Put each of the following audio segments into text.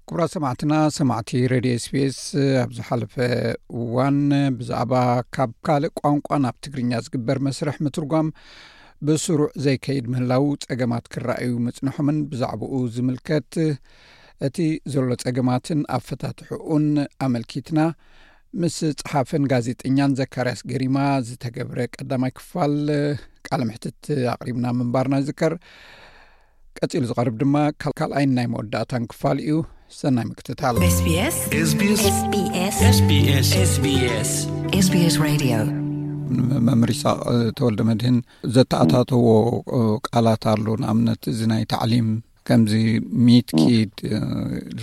ክቡራት ሰማዕትና፣ ሰማዕቲ ሬድዮ ኤስቢኤስ፣ ኣብ ዝሓለፈ እዋን ብዛዕባ ካብ ካልእ ቋንቋ ናብ ትግርኛ ዝግበር መስርሕ ምትርጓም ብስሩዕ ዘይከይድ ምህላው፣ ጸገማት ክረኣዩ ምጽንሖምን ብዛዕባኡ ዝምልከት እቲ ዘሎ ጸገማትን ኣፈታትሕኡን ኣመልኪትና ምስ ጸሓፍን ጋዜጠኛን ዘካርያስ ገሪማ ዝተገብረ ቀዳማይ ክፋል ቃለ መሕትት ኣቕሪብና ምንባርና ይዝከር። ቀጺሉ ዝቐርብ ድማ ካል-፣ ካልኣይን ናይ መወዳእታን ክፋል እዩ። ሰናይ ምክትታል። SBS SBS SBS SBS SBS Radio. መምህር ይስሐቅ ተወልደ መድህን፣ ዘተኣታተዎ ቃላት ኣሎ። ንኣብነት እዚ ናይ ታዕሊም ከምዚ ሚትኪድ፣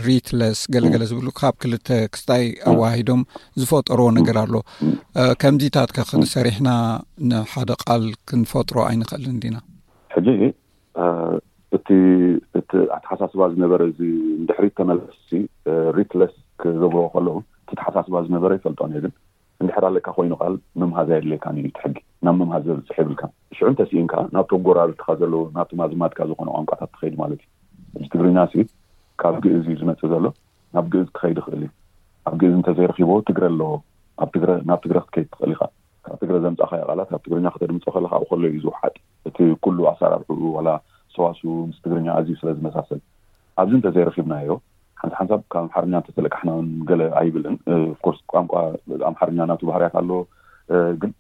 ሪትለስ፣ ገለገለ ዝብሉ ካብ ክልተ ክስታይ ኣዋሂዶም ዝፈጠርዎ ነገር ኣሎ። ከምዚታት ከ ክንሰሪሕና ንሓደ ቃል ክንፈጥሮ ኣይንኽእልን ዲና? ሕጂ እቲ እቲ ኣተሓሳስባ ዝነበረ፣ እዚ ንድሕሪት ተመለስሲ ሪትለስ ክገብርዎ ከለዉ፣ እቲ ኣተሓሳስባ ዝነበረ ይፈልጦን እየ። ግን እንድሕር ኣለካ ኮይኑ ቃል ምምሃዝ ኣየድልየካን እዩ። እቲ ሕጊ ናብ ምምሃዝ ዘብፅሕ የብልካን። ሽዑ እንተስኢንካ ናብቶም ጎራብትኻ ዘለዉ፣ ናብቶም ኣዝማድካ ዝኾኑ ቋንቋታት ትኸይድ ማለት እዩ። እዚ ትግርኛ ሲ ካብ ግእዝ እዩ ዝመፅእ ዘሎ። ናብ ግእዝ ክኸይድ ይኽእል እዩ። ኣብ ግእዝ እንተዘይረኺቦ ትግረ ኣለዎ። ኣብ ትግረ፣ ናብ ትግረ ክትከይድ ትኽእል ኢኻ። ካብ ትግረ ዘምፃእኻዮ ቃላት ኣብ ትግርኛ ከተድምፆ ከለኻ ኣብኡ ከሎ እዩ ዝውሓጥ። እቲ ኩሉ ኣሰራርሕኡ ዋላ ሰዋስው ምስ ትግርኛ ኣዝዩ ስለ ዝመሳሰል፣ ኣብዚ እንተዘይረኺብናዮ፣ ሓንሳብ ሓንሳብ ካብ ኣምሓርኛ እንተተለቃሕና እውን ገለ ኣይብልን። ኦፍኮርስ ቋንቋ ኣምሓርኛ ናቱ ባህርያት ኣለዎ። ግን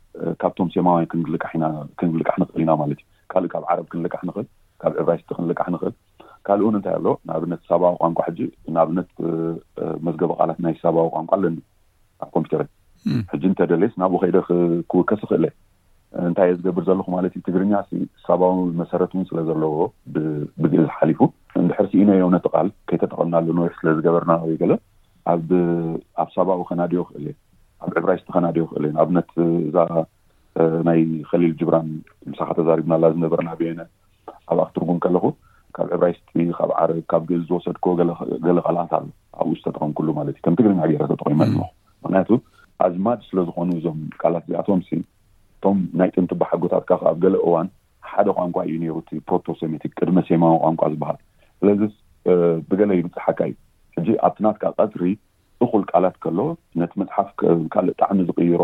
ካብቶም ሴማውያን ክንልቃሕ ኢና፣ ክንልቃሕ ንኽእል ኢና ማለት እዩ። ካልእ ካብ ዓረብ ክንልቃሕ ንኽእል፣ ካብ ዕብራይስጢ ክንልቃሕ ንኽእል። ካልእ እውን እንታይ ኣሎ? ንኣብነት ሳባዊ ቋንቋ፣ ሕጂ ንኣብነት መዝገበ ቃላት ናይ ሳባዊ ቋንቋ ኣለኒ ኣብ ኮምፒውተረይ። ሕጂ እንተደልየስ ናብኡ ከይደ ክ-፣ ክውከስ እኽእል እየ። እንታይ እየ ዝገብር ዘለኹ ማለት እዩ? ትግርኛ ሲ ሳባዊ መሰረት እውን ስለ ዘለዎ፣ ብ-፣ ብግእዝ ሓሊፉ፣ እንድሕር ስኢነዮ ነቲ ቃል ከይተጠቐምናሉ ነዊሕ ስለ ዝገበርና ወይ ገለ፣ ኣብ፣ ኣብ ሳባዊ ከናድዮ እኽእል እየ፣ ኣብ ዕብራይስጢ ከናድዮ እኽእል እየ። ንኣብነት እዛ ናይ ኸሊል ጅብራን ምሳኻ ተዛሪብናላ ዝነበርና ብየነ፣ ኣብኣ ክትርጉም ከለኹ ካብ ዕብራይስጢ፣ ካብ ዓረብ፣ ካብ ግእዝ ዝወሰድክዎ ገለ፣ ገለ ቃላት ኣሎ ኣብኡ ዝተጠቐምኩሉ ማለት እዩ። ከም ትግርኛ ገይረ ተጠቒመ ኣለኹ። ምኽንያቱ ኣዝማድ ስለ ዝኾኑ እዞም ቃላት እዚኣቶም ሲ፣ እቶም ናይ ጥንቲ ኣቦሓጎታትካ ከኣ ኣብ ገለ እዋን ሓደ ቋንቋ እዩ ነይሩ፣ እቲ ፕሮቶ ሴሜቲክ፣ ቅድመ ሴማዊ ቋንቋ ዝበሃል። ስለዚ ብገለ ይብጽሓካ እዩ። ሕጂ ኣብቲ ናትካ ቀጽሪ እኹል ቃላት ከሎ፣ ነቲ መጽሓፍ ከ-፣ ካልእ ጣዕሚ ዝቕይሮ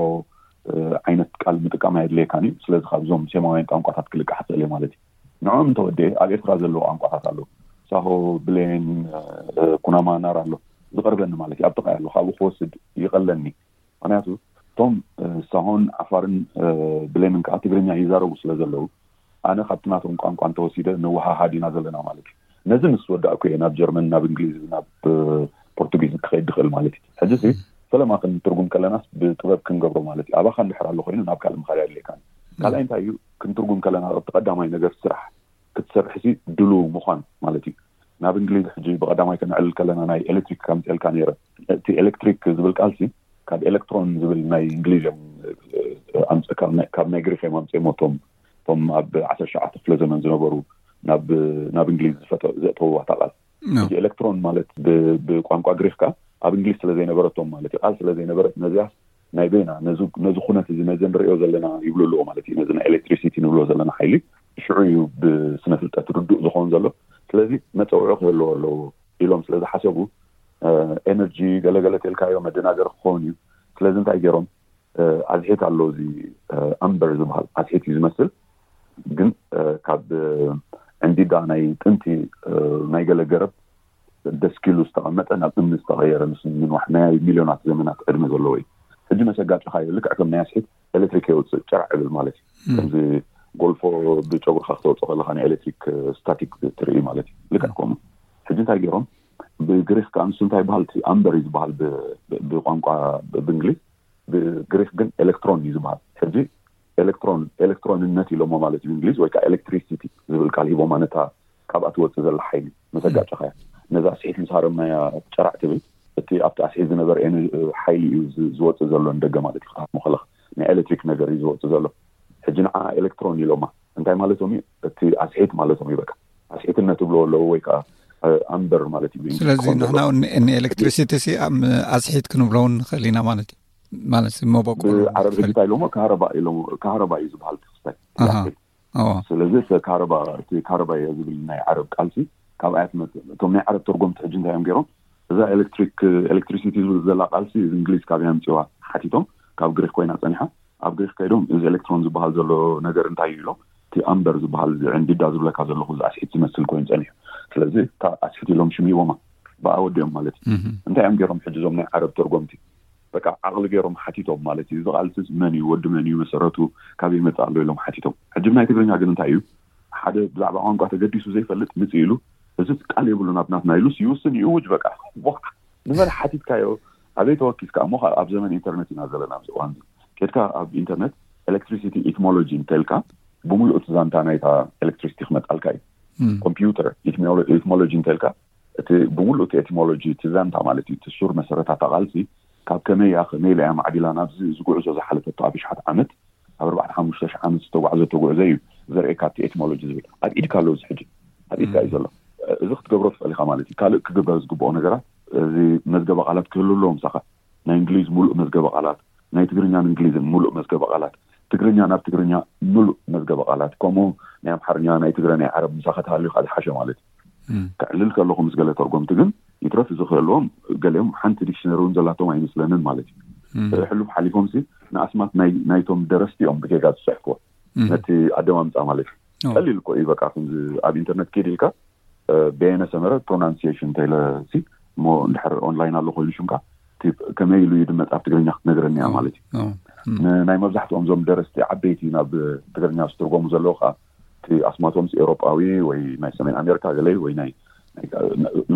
ዓይነት ቃል ምጥቃም ኣየድልየካን እዩ። ስለዚ ካብዞም ሴማውያን ቋንቋታት ክልቃሕ ይኽእል እየ ማለት እዩ። ንዕኦም እንተወዲኤ ኣብ ኤርትራ ዘለዉ ቋንቋታት ኣለዉ። ሳሆ፣ ብሌን፣ ኩናማ፣ ናራ ኣሎ። ዝቐርበኒ ማለት እዩ። ኣብ ጥቓይ ኣሎ። ካብኡ ክወስድ ይቐለኒ። ምኽንያቱ እቶም ሳሆን ዓፋርን ብሌንን ከኣ ትግርኛ ይዛረቡ ስለ ዘለዉ፣ ኣነ ካብቲ ናቶም ቋንቋ እንተወሲደ ንወሃሃድ ኢና ዘለና ማለት እዩ። ነዚ ምስ ወዳእኩ እየ ናብ ጀርመን፣ ናብ እንግሊዝ፣ ናብ ፖርቱጊዝ ክኸይድ ድኽእል ማለት እዩ። ሕጂ ሲ ፈለማ ክንትርጉም ከለናስ ብጥበብ ክንገብሮ ማለት እዩ። ኣባኻ እንድሕር ኣሎ ኮይኑ ናብ ካልእ ምኻድ ኣየድልየካን። ካልኣይ እንታይ እዩ? ክንትርጉም ከለና እቲ ቀዳማይ ነገር ስራሕ ክትሰርሕሲ ድሉው ምዃን ማለት እዩ። ናብ እንግሊዝ ሕጂ ብቐዳማይ ከነዕልል ከለና ናይ ኤሌክትሪክ ከምፅኤልካ ነይረ። እቲ ኤሌክትሪክ ዝብል ቃልሲ ካብ ኤሌክትሮን ዝብል ናይ እንግሊዝ እዮም ኣምፅ-፣ ካብ ናይ፣ ካብ ናይ ግሪክ እዮም ኣምፅኦም እቶም፣ እቶም ኣብ ዓሰርተ ትሽዓተ ክፍለ ዘመን ዝነበሩ ናብ፣ ናብ እንግሊዝ ዝፈተ-፣ ዘእተውዋ እታ ቃል። ሕጂ ኤሌክትሮን ማለት ብ-፣ ብቋንቋ ግሪክ ከኣ ኣብ እንግሊዝ ስለ ዘይነበረቶም ማለት እዩ፣ ቃል ስለ ዘይነበረት፣ ነዚያስ ናይ በይና ነዚ፣ ነዚ ኩነት እዚ፣ ነዚ ንርእዮ ዘለና ይብሉ ኣለዎ ማለት እዩ። ነዚ ናይ ኤሌክትሪሲቲ ንብሎ ዘለና ሓይሊ ሽዑ እዩ ብስነ ፍልጠት ርዱእ ዝኸውን ዘሎ። ስለዚ መጸውዒ ክህልዎ ኣለዎ ኢሎም ስለ ዝሓሰቡ፣ ኤነርጂ ገለገለ ተልካዮ መደናገሪ ክኸውን እዩ። ስለዚ እንታይ ገይሮም? ኣዝሒት ኣሎ፣ እዚ ኣምበር ዝበሃል ኣዝሒት እዩ ዝመስል፣ ግን ካብ ዕንዲዳ ናይ ጥንቲ ናይ ገለ ገረብ ደስኪሉ ዝተቐመጠ፣ ናብ እምኒ ዝተቐየረ፣ ምስ ምንዋሕ ናይ ሚልዮናት ዘመናት ዕድመ ዘለዎ እዩ። ሕጂ መሰጋጭኻዮ ልክዕ ከም ናይ ኣስሒት ኤሌክትሪክ የውፅእ፣ ጨራዕ ዕብል ማለት እዩ። ከምዚ ጎልፎ ብጨጉርኻ ክተውፅኦ ከለኻ ናይ ኤሌክትሪክ ስታቲክ ትርኢ ማለት እዩ። ልክዕ ከምኡ። ሕጂ እንታይ ገይሮም? ብግሪክ ከኣ ንሱ እንታይ ይበሃል? እቲ ኣምበር እዩ ዝበሃል ብ-፣ ብ-፣ ብቋንቋ ብ-፣ ብእንግሊዝ፣ ብግሪክ ግን ኤሌክትሮን እዩ ዝበሃል። ሕጂ ኤሌክትሮን፣ ኤሌክትሮንነት ኢሎሞ ማለት እዩ ብእንግሊዝ፣ ወይ ከዓ ኤሌክትሪሲቲ ዝብል ቃል ሂቦማ ነታ ካብኣ ትወፅእ ዘላ ሓይሊ። መሰጋጨኻያ ነዛ ስሒት ምስ ሃረምናያ ጨራዕ ትብል፣ እቲ ኣብቲ ኣስሒት ዝነበረ ኤነ-፣ ሓይሊ እዩ ዝ-፣ ዝወፅእ ዘሎ ንደገ ማለት እዩ። ክትሃርሞ ከለኻ ናይ ኤሌክትሪክ ነገር እዩ ዝወፅእ ዘሎ። ሕጂ ንዓ ኤሌክትሮን ኢሎማ። እንታይ ማለቶም እዩ? እቲ ኣስሒት ማለቶም እዩ። በቃ ኣስሒትነት ትብሎ ኣለዉ ወይ ከዓ ኣምበር ማለት እዩ ብእንግሊዝ ስለዚ ክኾን ንሕና ዘለዎ። እውን ን-፣ ንኤሌክትሪሲቲ ሲ ኣብ ኣስሒት ክንብሎ እውን ንኽእል ኢና ማለት እዩ። ማለት ብዓረብ ሕጂ እንታይ ኢሎሞ? ካህረባ ኢሎሞ፣ ካህረባ እዩ ዝበሃል እቲ ክስታይ። ኣሃ። ኣስሒት። ኣዎ። ስለዚ እቲ ካህረባ፣ እቲ ካህረባ እየ ዝብል ናይ ዓረብ ቃልሲ ካብ ኣያት መ-፣ እቶም ናይ ዓረብ ተርጎምቲ ሕጂ እንታይ እዮም ገይሮም? እዛ ኤሌክትሪክ ኤሌክትሪሲቲ ዝብል ዘላ ቃልሲ እንግሊዝ ካብ ያምፅዋ ሓቲቶም ካብ ግሪክ ኮይና ፀኒሓ ኣብ ግሪክ ከይዶም እዚ ኤሌክትሮን ዝበሃል ዘሎ ነገር እንታይ እዩ ኢሎም እቲ ኣምበር ዝበሃል እዚ ዕንዲዳ ዝብለካ ዘለኹ እዚ ኣስሒት ዝመስል ኮይኑ ፀኒሑ። ስለዚ እታ ኣስሒት ኢሎም ሽም ሂቦማ ብኣ ወዲኦም ማለት እዩ። እንታይ እዮም ገይሮም ሕጂ እዞም ናይ ዓረብ ተርጎምቲ በቃ ዓቕሊ ገይሮም ሓቲቶም ማለት እዩ። እዚ ቃልሲ መን እዩ ወዲ መን እዩ መሰረቱ ካበይ መፅእ ኣሎ ኢሎም ሓቲቶም። ሕጂ ናይ ትግርኛ ግን እንታይ እዩ ሓደ ብዛዕባ ቋንቋ ተገዲሱ ዘይፈልጥ ምፅ ኢሉ እዚ ቃል የብሉን ኣብ ናትና ኢሉስ ይውስን ይእውጅ በቃ። ንመን ሓቲትካዮ ኣበይ ተወኪስካ እሞ ኣብ ዘመን ኢንተርነት ኢና ዘለና ኣብዚ እዋን እዚ። ኬድካ ኣብ ኢንተርነት ኤሌክትሪሲቲ ኢትሞሎጂ እንተልካ ብምሉእ እቲ ዛንታ ናይታ ኤሌክትሪሲቲ ክመጣልካ እዩ። ኮምፒውተር ኢትሞሎጂ እንተልካ እቲ ብምሉእ እቲ ኤቲሞሎጂ እቲ ዛንታ ማለት እዩ እቲ ሱር መሰረታታ ቃልሲ ካብ ከመይ እያ ከመይ ኢላ እያ ማዕቢላ ናብዚ ዝጉዕዞ ዝሓለፈቶ ኣብ ሽሓት ዓመት ኣብ ኣርባዕተ ሓሙሽተ ሽሕ ዓመት ዝተጓዕዘቶ ጉዕዞ እዩ ዘርእየካ እቲ ኤቲሞሎጂ ዝብል ኣብ ኢድካ ኣሎ እዚ ሕጂ ኣብ ኢድካ እዩ ዘሎ። እዚ ክትገብሮ ትኽእል ኢኻ ማለት እዩ። ካልእ ክግበር ዝግብኦ ነገራት እዚ መዝገበ ቃላት ክህሉ ኣለዎ ምሳኻ ናይ እንግሊዝ ሙሉእ መዝገበ ቃላት ናይ ትግርኛን እንግሊዝን ሙሉእ መዝገበ ቃላት ትግርኛ ናብ ትግርኛ ሙሉእ መዝገበ ቃላት ከምኡ ናይ ኣምሓርኛ ናይ ትግረ ናይ ዓረብ ምሳኻ ተሃልዩካ ዝሓሸ ማለት እዩ። ከዕልል ከለኹ ምስ ገለ ተርጎምቲ ግን ይትረፍ እዚ ክህልዎም ገሊኦም ሓንቲ ዲክሽነሪ እውን ዘላቶም ኣይመስለንን ማለት እዩ። ሕሉፍ ሓሊፎም ሲ ንኣስማት ናይቶም ደረስቲ እዮም ብጌጋ ዝፅሕፍዎ ነቲ ኣደማምፃ ማለት እዩ። ቀሊል እኮ እዩ በቃ ከምዚ ኣብ ኢንተርነት ኬድ ኢልካ በየነ ሰመረ ፕሮናንሲሽን እንተኢለ ሲ እሞ እንድሕር ኦንላይን ኣሎ ኮይኑ ሽምካ ከመይ ኢሉ ይድመፅ ኣብ ትግርኛ ክትነግረኒ እያ ማለት እዩ። ናይ መብዛሕትኦም ዞም ደረስቲ ዓበይቲ ናብ ትግርኛ ዝትርጎሙ ዘለዉ ከዓ እቲ ኣስማቶም ኤውሮጳዊ ወይ ናይ ሰሜን ኣሜሪካ ገለ ወይ ናይ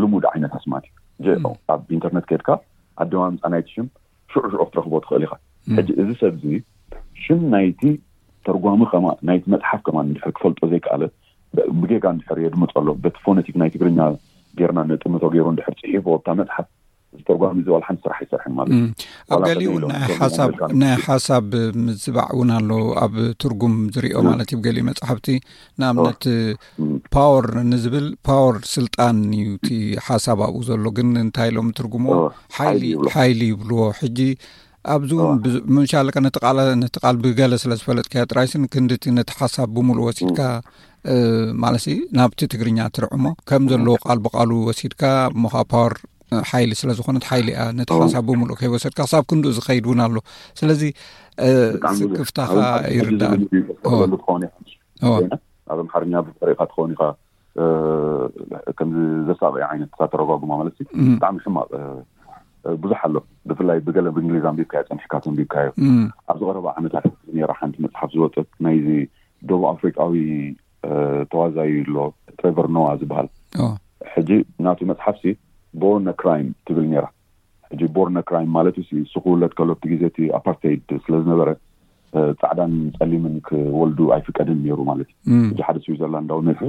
ልሙድ ዓይነት ኣስማት እዩ። ኣብ ኢንተርነት ከድካ ኣደማምፃ ናይቲ ሽም ሽዑ ሽዑ ክትረኽቦ ትኽእል ኢኻ። ሕጂ እዚ ሰብ እዚ ሽም ናይቲ ተርጓሚ ከማ ናይቲ መፅሓፍ ከማ እንድሕር ክፈልጦ ዘይከኣለ ብጌጋ እንድሕር የድምፆ ኣሎ በቲ ፎነቲክ ናይ ትግርኛ ጌርና ነጥምቶ ገይሩ እንድሕር ፅሒፎ ኣብታ መፅሓፍ ዝተርጓሚ እዚ ዋላ ሓንቲ ስራሕ ኣይሰርሕን ማለት እዩ። ኣብ ገሊኡ ናይ ሓሳብ ናይ ሓሳብ ምዝባዕ እውን ኣሎ ኣብ ትርጉም ዝሪኦ ማለት እዩ። ገሊኡ መፅሓፍቲ ንኣብነት ፓወር ንዝብል ፓወር ስልጣን እዩ እቲ ሓሳብ ኣብኡ ዘሎ። ግን እንታይ ኢሎም ትርጉሞ ሓይሊ ይብልዎ። ሕጂ ኣብዚ እውን ምሻለቀ ነቲ ቃል ብገለ ስለ ዝፈለጥካዮ ጥራይሲ ንክንድቲ ነቲ ሓሳብ ብምሉእ ወሲድካ ማለት ናብቲ ትግርኛ ትርዕሞ ከም ዘለዎ ቃል ብቃሉ ወሲድካ እሞ ከዓ ፓወር ሓይሊ ስለ ዝኾነት ሓይሊ እያ ነቲ ሓሳብ ብምሉእ ከይወሰድካ ክሳብ ክንድኡ ዝኸይድ እውን ኣሎ። ስለዚ ስክፍታኻ ይርዳእ። ኣብ ኣምሓርኛ ብጠሪኻ ትኸውን ኢኻ ከምዚ ዘሳቂ ዓይነት ተተረጓጉማ ማለት ብጣዕሚ ሕማቅ ብዙሕ ኣሎ። ብፍላይ ብገለ ብእንግሊዝ ኣንቢብካዮ ፀኒሕካ ተንቢብካዮ ኣብዚ ቀረባ ዓመታት ነራ ሓንቲ መፅሓፍ ዝወፀት ናይዚ ደቡብ ኣፍሪቃዊ ተዋዛዩ ኣሎ ትሬቨር ኖዋ ዝበሃል። ሕጂ ናቱ መፅሓፍሲ ቦርነ ክራይም ትብል ነራ። ሕጂ ቦርነ ክራይም ማለት ሲ ስክውለድ ከሎ ኣብቲ ግዜ እቲ ኣፓርተይድ ስለዝነበረ ፃዕዳን ፀሊምን ክወልዱ ኣይፍቀድን ነይሩ ማለት እዩ። ሕጂ ሓደ ስዊዘርላንዳዊ መፅኡ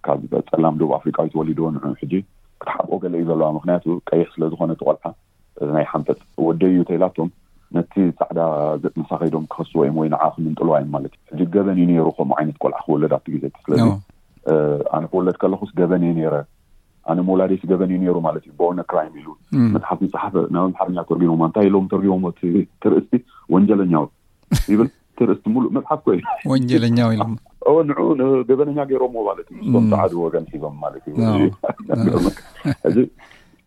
ካብ ፀላም ደቡብ ኣፍሪቃዊ ተወሊድዎ ንዑ ሕጂ ክትሓብኦ ገለ እዩ ዘለዋ። ምክንያቱ ቀይሕ ስለዝኮነ እቲ ቆልዓ ናይ ሓንፈፅ ወደይ እዩ ተይላቶም ነቲ ፃዕዳ ገፅ ምሳ ከይዶም ክኸስዎ እዮም ወይ ንዓ ክምንጥልዋ እዮም ማለት እዩ። ሕጂ ገበን እዩ ነይሩ ከምኡ ዓይነት ቆልዓ ክወለድ ኣብቲ ግዜ እቲ። ስለዚ ኣነ ክወለድ ከለኹስ ገበን እየ ነይረ ኣነ ምውላደይ ገበን እዩ ነይሩ ማለት እዩ። ቦርነ ክራይም ኢሉ መፅሓፍ ዝፀሓፈ ናብ ኣምሓርኛ ተርጉሞማ እንታይ ኢሎም ተርጉሞሞ እቲ ትርእስቲ ወንጀለኛው ይብል ትርእስቲ ሙሉእ መፅሓፍ ኮ እዩ። ወንጀለኛው ኢሎም ኦ ንዑ ገበነኛ ገይሮሞ ማለት እዩ። እቶም ፀዓዱ ወገን ሒዞም ማለት እዩ።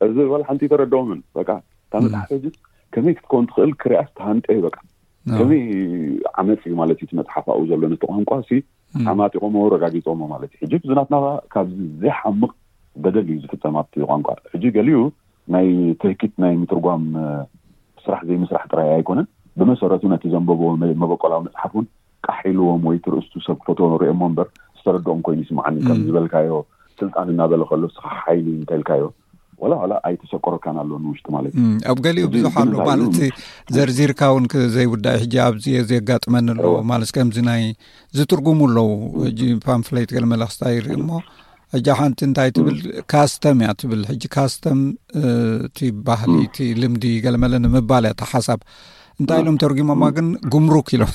እዚ ዋላ ሓንቲ ተረድኦምን በቃ እታ መፅሓፍ ሕጂ ከመይ ክትከውን ትኽእል ክሪኣስ ተሃንጠ እዩ በቃ ከመይ ዓመፅ እዩ ማለት እዩ። እቲ መፅሓፍ ኣብኡ ዘሎ ነቲ ቋንቋ ሲ ዓማጢቆሞ ረጋጊፆሞ ማለት እዩ። ሕጂ እዚ ናትና ካብዚ ዘይሓምቕ በደል እዩ ዝፍፀም ኣብቲ ቋንቋ። ሕጂ ገሊኡ ናይ ትህኪት ናይ ምትርጓም ስራሕ ዘይምስራሕ ጥራይ ኣይኮነን። ብመሰረቱ ነቲ ዘንበብዎ መበቆላዊ መፅሓፍ እውን ቃሕ ኢልዎም ወይ ትርእስቱ ሰብ ክፈትዎ ንሪኦሞ እምበር ዝተረድኦም ኮይኑ ይስምዓኒ። ከም ዝበልካዮ ስልጣን እናበለ ከሎ ስኻ ሓይሊ እንተልካዮ ዋላ ዋላ ኣይተሰቆረካን ኣሎ ንውሽጢ ማለት እዩ። ኣብ ገሊኡ ብዙሕ ኣሎ ማለት ዘርዚርካ እውን ዘይውዳእ ሕጂ ኣብዚ የጋጥመኒ ኣለዎ ማለት ከምዚ ናይ ዝትርጉሙ ኣለዉ። ሕጂ ፓምፍሌት ገለ መለክስታ ይርኢ እሞ ሕጂ ሓንቲ እንታይ ትብል ካስተም እያ ትብል። ሕጂ ካስተም እቲ ባህሊ እቲ ልምዲ ገለመለ ንምባል እያ እታ ሓሳብ እንታይ ኢሎም ተርጉሞማ ግን ጉምሩክ ኢሎም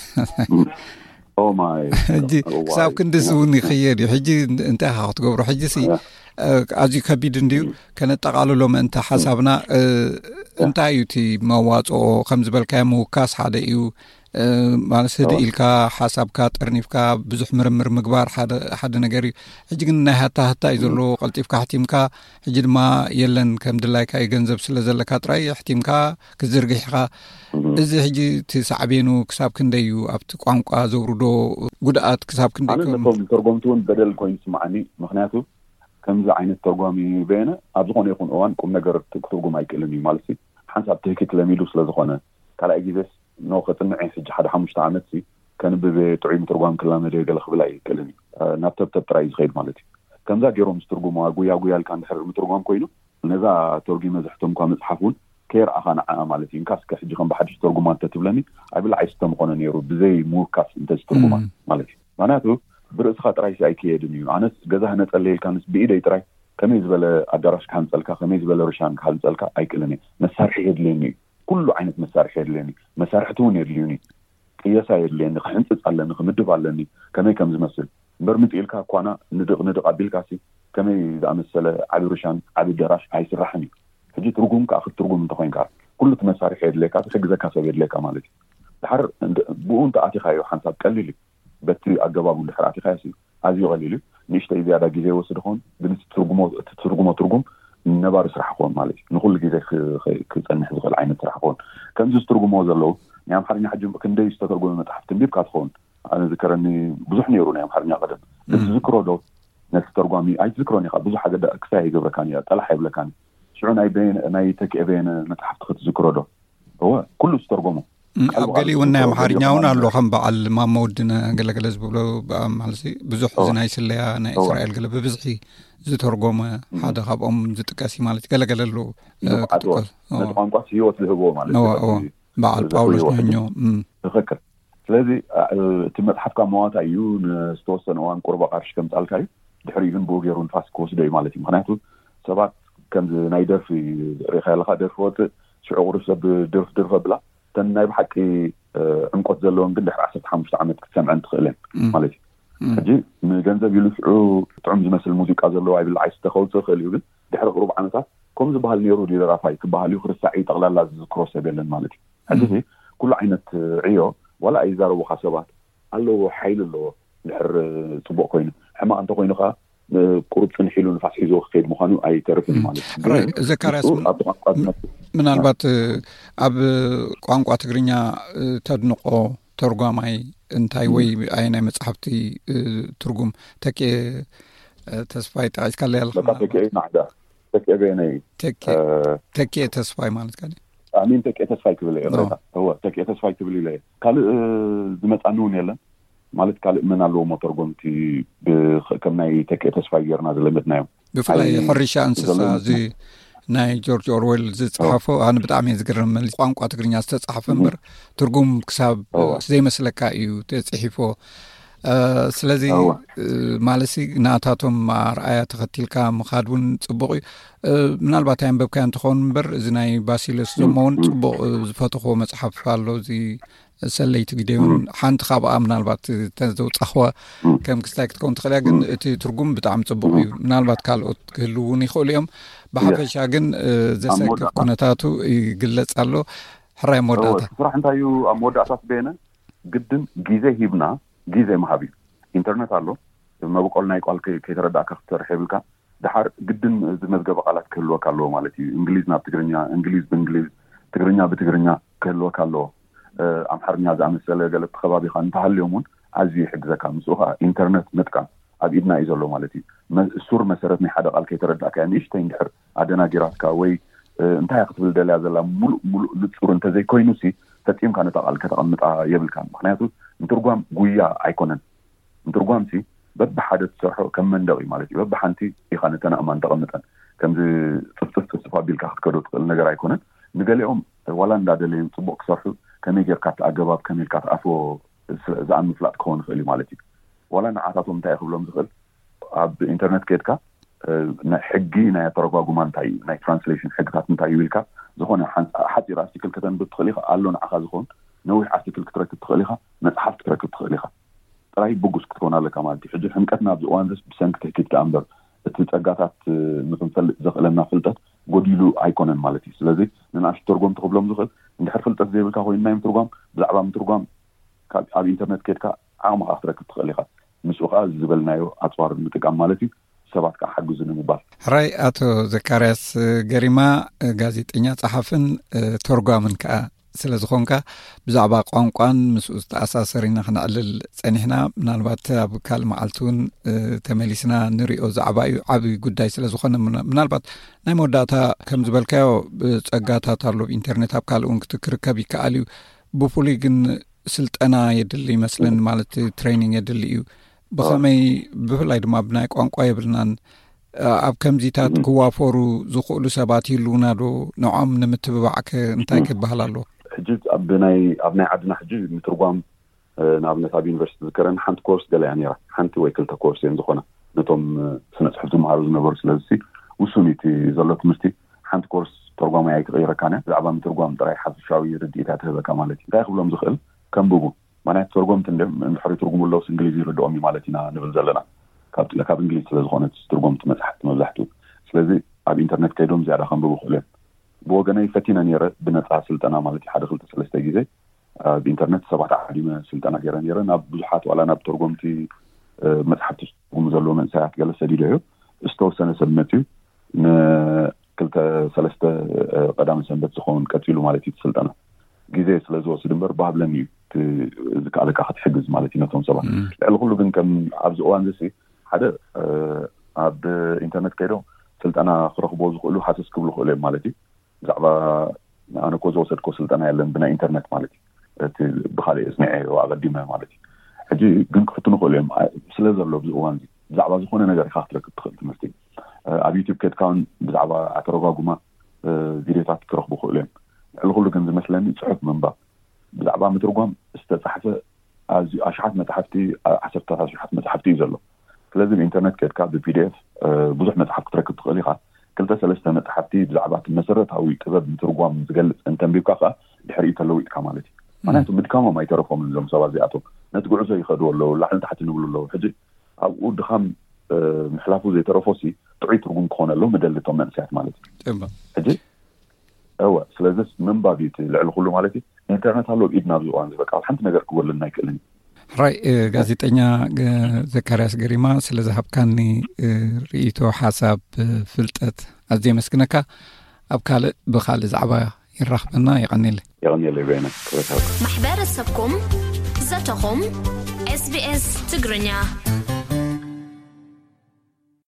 ሕጂ ክሳብ ክንድስ እውን ይኽየድ እዩ። ሕጂ እንታይ ኢኻ ክትገብሮ? ሕጂ ሲ ኣዝዩ ከቢድ እንድዩ። ከነጠቓልሎ ምእንቲ ሓሳብና እንታይ እዩ እቲ መዋፅኦ? ከም ዝበልካዮ ምውካስ ሓደ እዩ። ማለት ስዲ ኢልካ ሓሳብካ ጠርኒፍካ ብዙሕ ምርምር ምግባር ሓደ ነገር እዩ። ሕጂ ግን ናይ ሃታ ሃታ እዩ ዘለዎ። ቀልጢፍካ ሕቲምካ ሕጂ ድማ የለን ከም ድላይካ እዩ፣ ገንዘብ ስለ ዘለካ ጥራይ ሕቲምካ ክትዝርግሕ ኢኻ። እዚ ሕጂ እቲ ሳዕቤኑ ክሳብ ክንደይ እዩ ኣብቲ ቋንቋ ዘውርዶ ጉድኣት ክሳብ ክንደይ? ኣነ ነቶም ተርጎምቲ እውን በደል ኮይኑ ይስምዓኒ። ምክንያቱ ከምዚ ዓይነት ተርጓሚ በየነ ኣብ ዝኾነ ይኹን እዋን ቁም ነገር ክትርጉም ኣይክእልን እዩ። ማለት ሓንሳብ ትህኪት ለሚዱ ስለ ዝኾነ ካልኣይ ግዜስ ኖ ከጽንዐ ሕጂ ሓደ ሓሙሽተ ዓመት ከንብብ ጥዑይ ምትርጓም ክላመደ ገለ ክብል ኣይክእልን እዩ። ናብ ተብተብ ጥራይ እዩ ዝኸይድ ማለት እዩ። ከምዛ ገይሮም ዝትርጉምዋ ጉያ ጉያ ልካ እንድሕር ምትርጓም ኮይኑ ነዛ ተርጒመ ዘሕተምኳ መጽሓፍ እውን ከየርኣኻ ንዓኣ ማለት እዩ። እንካስ ከ ሕጂ ከም ብሓድሽ ተርጉማ እንተትብለኒ ኣይብላዕ ኣይስተ ምኾነ ነይሩ፣ ብዘይ ምውካስ እንተዝትርጉማ ማለት እዩ። ምክንያቱ ብርእስኻ ጥራይሲ ኣይክየድን እዩ። ኣነስ ገዛ ህነጸለይ ኢልካንስ ብኢደይ ጥራይ ከመይ ዝበለ ኣዳራሽ ክሃንጸልካ፣ ከመይ ዝበለ ርሻን ክሃንጸልካ ኣይክእልን እየ። መሳርሒ የድልየኒ እዩ። ኩሉ ዓይነት መሳርሒ የድልየኒ። መሳርሕቲ እውን የድልዩኒ። ቅየሳ የድልየኒ። ክሕንጽጽ ኣለኒ፣ ክምድብ ኣለኒ ከመይ ከም ዝመስል። እምበር ምጽእ ኢልካ ኳና ንድቕ ንድቕ ኣቢልካሲ ከመይ ዝኣመሰለ ዓቢ ርሻን ዓቢ ኣዳራሽ ኣይስራሕን እዩ። ሕጂ ትርጉም ከኣ ክትትርጉም እንተኾይንካ ኩሉ እቲ መሳርሒ የድልየካ፣ ዝሕግዘካ ሰብ የድልየካ ማለት እዩ። ድሓር ብኡ እንተ ኣቲኻዮ ሓንሳብ ቀሊል እዩ። በቲ ኣገባቡ እንድሕር ኣቲኻዮ ሲ ኣዝዩ ቀሊል እዩ። ንእሽተይ ዝያዳ ግዜ ይወስድ ይኸውን፣ ግን እቲ ትርጉሞ እቲ ትርጉሞ ትርጉም ነባሪ ስራሕ ክኸውን ማለት እዩ። ንኹሉ ግዜ ክ- ክ- ክጸንሕ ዝኽእል ዓይነት ስራሕ ክኸውን። ከምዚ ዝትርጉሞ ዘለዉ ናይ ኣምሓርኛ ሕጂ ክንደይ ዝተተርጎመ መጽሓፍቲ እንቢብካ ትኸውን። ኣነ ዝከረኒ ብዙሕ ነይሩ ናይ ኣምሓርኛ ቀደም። እም። ትዝክሮ ዶ ነቲ ተርጓሚ? ኣይትዝክሮን ኢኻ። ብዙሕ ኣገዳ ክሳይ ኣይገብረካን እያ፣ ጠላሕ ኣይብለካን። ሽዑ ናይ በየነ- ናይ ተኪኤ በየነ መጽሓፍቲ ክትዝክሮ ዶ? እወ፣ ኩሉ ዝተርጎሞ። እም፣ ኣብ ቃል ብቓል ገሊኡ እውን ናይ ዝተርጎሞ ኣምሓርኛ እውን ኣሎ፣ ገሊኦም ከም በዓል ማሞ ወድነ ገለገለ ዝብሎ። ብኣ- ማለት ብዙሕ እዚ እወ። ናይ ስለያ ናይ እወ። እስራኤል ገለ ብብዝሒ ዝተርጎመ እም። ሓደ ካብኦም ዝጥቀስ እዩ ማለት እዩ። ገለገለ ኣለዉ፣ እ፣ ንብዓት እወ። ክጥቀስ። እወ። ነቲ ቋንቋስ ህይወት ዝህብዎ ማለት እወ፣ እዩ። እወ። በዓል ዘፍርይዎ ጳውሎስ ሕጂ። ኖኞ። እም። ትኽክል። ስለዚ እ፣ እቲ መጽሓፍካ መዋታ እዩ፣ ንዝተወሰነ እዋን ቁርባ ቃርሽ ከምጻልካ እዩ። ድሕሪኡ ግን ብኡ ገይሩ ንፋስ ክወስዶ እዩ ማለት እዩ። ምክንያቱ ሰባት ከምዚ ናይ ደርፊ ርኢኻ ኣለኻ፣ ደርፊ ወጽእ ሽዑ ቁሩብ ሰብ ድርፍ ድርፍ ኣብላ እተን ናይ ብሓቂ እ፣ ዕምቆት ዘለወን ግን ድሕሪ ዓሰርተ ሓሙሽተ ዓመት ክትሰምዐን ትኽእለን እም። ማለት እዩ። እም። ሕጂ ንገንዘብ ኢሉ ሽዑ ጥዑም ዝመስል ሙዚቃ ዘለዎ ኣይብላዕ ኣይስተ ከውፅእ ይኽእል እዩ፣ ግን ድሕሪ ቁሩብ ዓመታት ከም ዝበሃል ነይሩ ድዩ ደራፋይ ክበሃል እዩ፣ ክርሳዕ እዩ፣ ጠቕላላ ዝዝክሮ ሰብ የለን ማለት እዩ። ሕጂ እም። እዚ ኩሉ ዓይነት ዕዮ ዋላ ኣይዛረቡኻ ሰባት ኣለዎ፣ ሓይሊ ኣለዎ። ድሕር ጽቡቕ ኮይኑ፣ ሕማቕ እንተኮይኑ ከኣ ቁሩብ ጽንሕ ኢሉ ንፋስ ሒዝዎ ክኸይድ ምዃኑ ኣይተርፍን እዩ ማለት እዩ። ራይ፣ ግን ዘካርያስ፣ ንሱ ኣብቲ ቋንቋ ዝነብር ምናልባት ኣብ ቋንቋ ትግርኛ ተድንቆ ተርጓማይ እንታይ ወይ ኣየናይ መጽሓፍቲ ትርጉም ተኬ ተስፋይ ጠቒስካለይ ኣለኻ? በቃ ተኬ ናዕዳ ተኬ በየነ እዩ። ተኬ እ፣ ተኬ ተስፋይ ማለት ካለ ኣሚን ተኬ ተስፋይ ክብል እየ። ኦ። ቅሬታ እወ ተኬ ተስፋይ ክብል ኢለ እየ። ካልእ እ፣ ዝመጻኒ እውን የለን። ማለት ካልእ መን ኣለዎ መተርጎምቲ ብ- ከም ናይ ተኬ ተስፋይ ጌርና ዝለመድናዮም? ብፍላይ ኣይ- ሕርሻ እንስሳ ዘለዉ እዚ ናይ ጆርጅ ኦርዌል ዝጸሓፎ ኣነ ብጣዕሚ እየ ዝግረመኒ። ቋንቋ ትግርኛ ዝተጻሕፈ እምበር ትርጉም ክሳብ እወ። ዘይመስለካ እዩ ተጽሒፎ። እ፣ ስለዚ እወ። እ፣ ማለትሲ ናታቶም ኣርኣያ ተኸቲልካ ምኻድ እውን ጽቡቕ እዩ። እ፣ ምናልባት ኣየንበብካዮ እንትኸውን እምበር እዚ ናይ ባሲለስ ዞሞ እውን ጽቡቕ እ፣ ዝፈተኽዎ መጽሓፍ ኣሎ። እዚ ሰለይቲ ግደዮን ሓንቲ ካብኣ ምናልባት እተን ዘውጻኽዋ ከም ክስታይ ክትከውን ትኽእል እያ፣ ግን እቲ ትርጉም ብጣዕሚ ጽቡቕ እዩ። ምናልባት ካልኦት ክህልው እውን ይኽእሉ እዮም። ብሓፈሻ ግን እ፣ ዘሰክፍ ኩነታቱ ይግለጽ ኣሎ። ሕራይ መወዳእታ። ስራሕ እንታይ እዩ ኣብ መወዳእታ ስበየነ ግድን ግዜ ሂብና ግዜ ምሃብ እዩ። ኢንተርነት ኣሎ፣ መበቆል ናይ ቃል ከይ- ከይተረዳእካ ክትሰርሕ የብልካ። ድሓር ግድን እዚ መዝገበ ቃላት ክህልወካ ኣለዎ ማለት እዩ። እንግሊዝ ናብ ትግርኛ፣ እንግሊዝ ብእንግሊዝ፣ ትግርኛ ብትግርኛ ክህልወካ ኣለዎ። እ፣ ኣምሓርኛ ዝኣመሰለ ገለ እቲ ከባቢኻ እንተሃልዮም እውን ኣዝዩ ይሕግዘካ። ምስኡ ከዓ ኢንተርነት ምጥቃም ኣብ ኢድና እዩ ዘሎ ማለት እዩ። መ- ሱር መሰረት ናይ ሓደ ቃል ከይተረዳእካያ ንእሽተይ እንድሕር ኣደናጊራትካ ወይ እ፣ እንታይ ክትብል ደልያ ዘላ ሙሉእ ሙሉእ ንጹር እንተዘይኮይኑ ሲ ፈጺምካ ነታ ቃል ከተቐምጣ የብልካን። ምክንያቱ ምትርጓም ጉያ ኣይኮነን። ምትርጓም ሲ በብሓደ ትሰርሖ ከም መንደቕ እዩ ማለት እዩ። በብሓንቲ ኢኻ ነተን ኣእማን ተቐምጠን ከምዚ ጽፍጽፍ ጽፍጽፍ ኣቢልካ ክትከዶ ትኽእል ነገር ኣይኮነን። ንገሊኦም ዋላ እንዳደለዩ ጽቡቕ ክሰርሑ ከመይ ጌርካ እቲ ኣገባብ ከመይ ኢልካ ትኣትዎ ስለ- ዝኣም ምፍላጥ ክኸውን ይኽእል እዩ ማለት እዩ። ዋላ ንዓታቶም እንታይ ክብሎም ዝኽእል ኣብ ኢንተርነት ከድካ እ፣ ናይ ሕጊ ናይ ኣተረጓጉማ እንታይ እዩ፣ ናይ ትራንስሌሽን ሕግታት እንታይ እዩ ኢልካ ዝኾነ ሓን- ሓፂር ኣርቲክል ከተንብብ ትኽእል ኢኻ። ኣሎ ንዓኻ ዝኸውን ነዊሕ ኣርቲክል ክትረክብ ትኽእል ኢኻ፣ መፅሓፍ ክትረክብ ትኽእል ኢኻ። ጥራይ ብጉስ ክትከውን ኣለካ ማለት እዩ። ሕጂ ሕምቀትና ኣብዚ እዋን ዚስ ብሰንኪ ትሕኪት ደኣ እምበር እቲ ፀጋታት እ፣ ንክንፈልጥ ዘኽእለና ፍልጠት ጎዲሉ ኣይኮነን ማለት እዩ። ስለዚ ንንኣሽቱ ተርጎምቲ ክብሎም ዝኽእል እንድሕር ፍልጠት ዘይብልካ ኮይኑ ናይ ምትርጓም ብዛዕባ ምትርጓም ኣብ ኢንተርነት ከድካ ዓቕምኻ ክትረክብ ትኽእል ኢኻ። ምስኡ ከዓ ዝበልናዮ ኣፅዋር ምጥቃም ማለት እዩ። ሰባት ከዓ ሓግዙ ንምባል። ሕራይ ኣቶ ዘካርያስ ገሪማ፣ ጋዜጠኛ፣ ጸሓፍን ተርጓምን ከዓ ስለ ዝኾንካ፣ ብዛዕባ ቋንቋን ምስኡ ዝተኣሳሰር ኢና ክነዕልል ጸኒሕና። ምናልባት ኣብ ካልእ መዓልቲ እውን ተመሊስና ንሪኦ ዛዕባ እዩ። ዓብዪ ጉዳይ ስለ ዝኾነ ምናልባት ናይ መወዳእታ ከም ዝበልካዮ ጸጋታት ኣሎ። ብኢንተርኔት ኣብ ካልእ እውን ክትክርከብ ይከኣል እዩ። ብፍሉይ ግን ስልጠና የድሊ ይመስለኒ፣ ማለት ትሬኒንግ የድሊ እዩ። ብኸመይ? ብፍላይ ድማ ብናይ ቋንቋ የብልናን። ኣብ ከምዚታት ክዋፈሩ ዝኽእሉ ሰባት ይህልውና ዶ? ንዖም ንምትብባዕ ከ እንታይ ክበሃል ኣለዎ? ሕጂ ኣብ ናይ ዓድና ሕጂ ምትርጓም፣ ንኣብነት ኣብ ዩኒቨርሲቲ ዝከረን ሓንቲ ኮርስ ገለ እያ ነራ። ሓንቲ ወይ ክልተ ኮርስ እየን ዝኾና ነቶም ስነ ፅሑፍ ዝመሃሩ ዝነበሩ። ስለዚ ውሱን እቲ ዘሎ ትምህርቲ። ሓንቲ ኮርስ ተርጓማይ ኣይትቐይረካን እያ። ብዛዕባ ምትርጓም ጥራይ ሓፈሻዊ ርድኢት እያ ትህበካ ማለት እዩ። እንታይ ክብሎም ዝኽእል? ከንብቡ። ማንያት ተርጎምቲ እንድሕሪ ትርጉሙ ኣለውስ እንግሊዝ ይርድኦም እዩ ማለት ኢና ንብል ዘለና። ካብ እንግሊዝ ስለ ዝኾነት ትርጎምቲ መፅሓፍቲ መብዛሕትኡ። ስለዚ ኣብ ኢንተርነት ከይዶም ዝያዳ ከንብቡ ክእሉ እዮም። ብወገነይ ፈቲነ ነረ ብነፃ ስልጠና ማለት እዩ። ሓደ ክልተ ሰለስተ ግዜ ኣብ ኢንተርነት ሰባት ዓዲመ ስልጠና ገይረ ነረ። ናብ ብዙሓት ዋላ ናብ ተርጎምቲ መፅሓፍቲ ዝትርጉሙ ዘለዎ መንእሰያት ገለ ሰዲደ እዩ። ዝተወሰነ ሰብ መፅዩ ንክልተ ሰለስተ ቀዳመ ሰንበት ዝኸውን ቀፂሉ ማለት እዩ። ስልጠና ግዜ ስለ ዝወስድ እምበር ባህብለኒ እዩ። ዝከኣለካ ክትሕግዝ ማለት እዩ ነቶም ሰባት። ልዕሊ ኩሉ ግን ከም ኣብዚ እዋን እዚ ሓደ ኣብ ኢንተርነት ከይዶም ስልጠና ክረኽቦ ዝኽእሉ ሃሰስ ክብሉ ክእሉ እዮም ማለት እዩ። ብዛዕባ ኣነ እኮ ዝወሰድኮ ስልጠና የለን ብናይ ኢንተርነት ማለት እዩ። እቲ ብካልእ እጽኒዐ ኣቐዲመ ማለት እዩ። ሕጂ ግን ክፍትኑ ክእሉ እዮም። ስለ ዘሎ ኣብዚ እዋን እዚ ብዛዕባ ዝኾነ ነገር ኢኻ ክትረክብ ትኽእል ትምህርቲ። ኣብ ዩቲብ ከድካ እውን ብዛዕባ ኣተረጓጉማ ቪድዮታት ክረኽቡ ክእሉ እዮም። ልዕሊ ኩሉ ግን ዝመስለኒ ጽሑፍ ምንባብ፣ ብዛዕባ ምትርጓም ዝተጻሕፈ ኣዝዩ ኣሽሓት መጽሓፍቲ፣ ዓሰርታት ኣሽሓት መጽሓፍቲ እዩ ዘሎ። ስለዚ ብኢንተርነት ከድካ ብፒዲኤፍ ብዙሕ መጽሓፍ ክትረክብ ትኽእል ኢኻ። ክልተ ሰለስተ መጽሓፍቲ ብዛዕባ እቲ መሰረታዊ ጥበብ ምትርጓም ዝገልጽ እንተንቢብካ ከኣ ድሕሪኡ ተለዊጥካ ማለት እዩ። ምክንያቱ ምድካሞም ኣይተረፎምን እዞም ሰባት እዚኣቶም። ነቲ ጉዕዞ ይኸድዎ ኣለዉ፣ ላዕሊ ታሕቲ ንብሉ ኣለዉ። ሕጂ ኣብኡ ድኻም ምሕላፉ ዘይተረፎሲ ጥዑይ ትርጉም ክኾነሎም ምደሊ እቶም መንእሰያት ማለት እዩ። ሕጂ እወ፣ ስለዚስ ምንባብ እዩ እቲ ልዕሊ ኩሉ ማለት እዩ። ኢንተርነት ኣሎ ኣብ ኢድና ኣብዚ እዋን እዚ፣ በቃ ሓንቲ ነገር ክጎድለና ኣይክእልን እዩ። ሕራይ ጋዜጠኛ ዘካርያስ ገሪማ፣ ስለ ዝሃብካኒ ርእይቶ፣ ሓሳብ፣ ፍልጠት ኣዝየ የመስግነካ። ኣብ ካልእ ብኻልእ ዛዕባ ይራኽበና። የቐንየለይ። የቐንየለይ በይነ። ክብረት ሃብካ። ማሕበረሰብኩም፣ ዘተኹም፣ SBS ትግርኛ።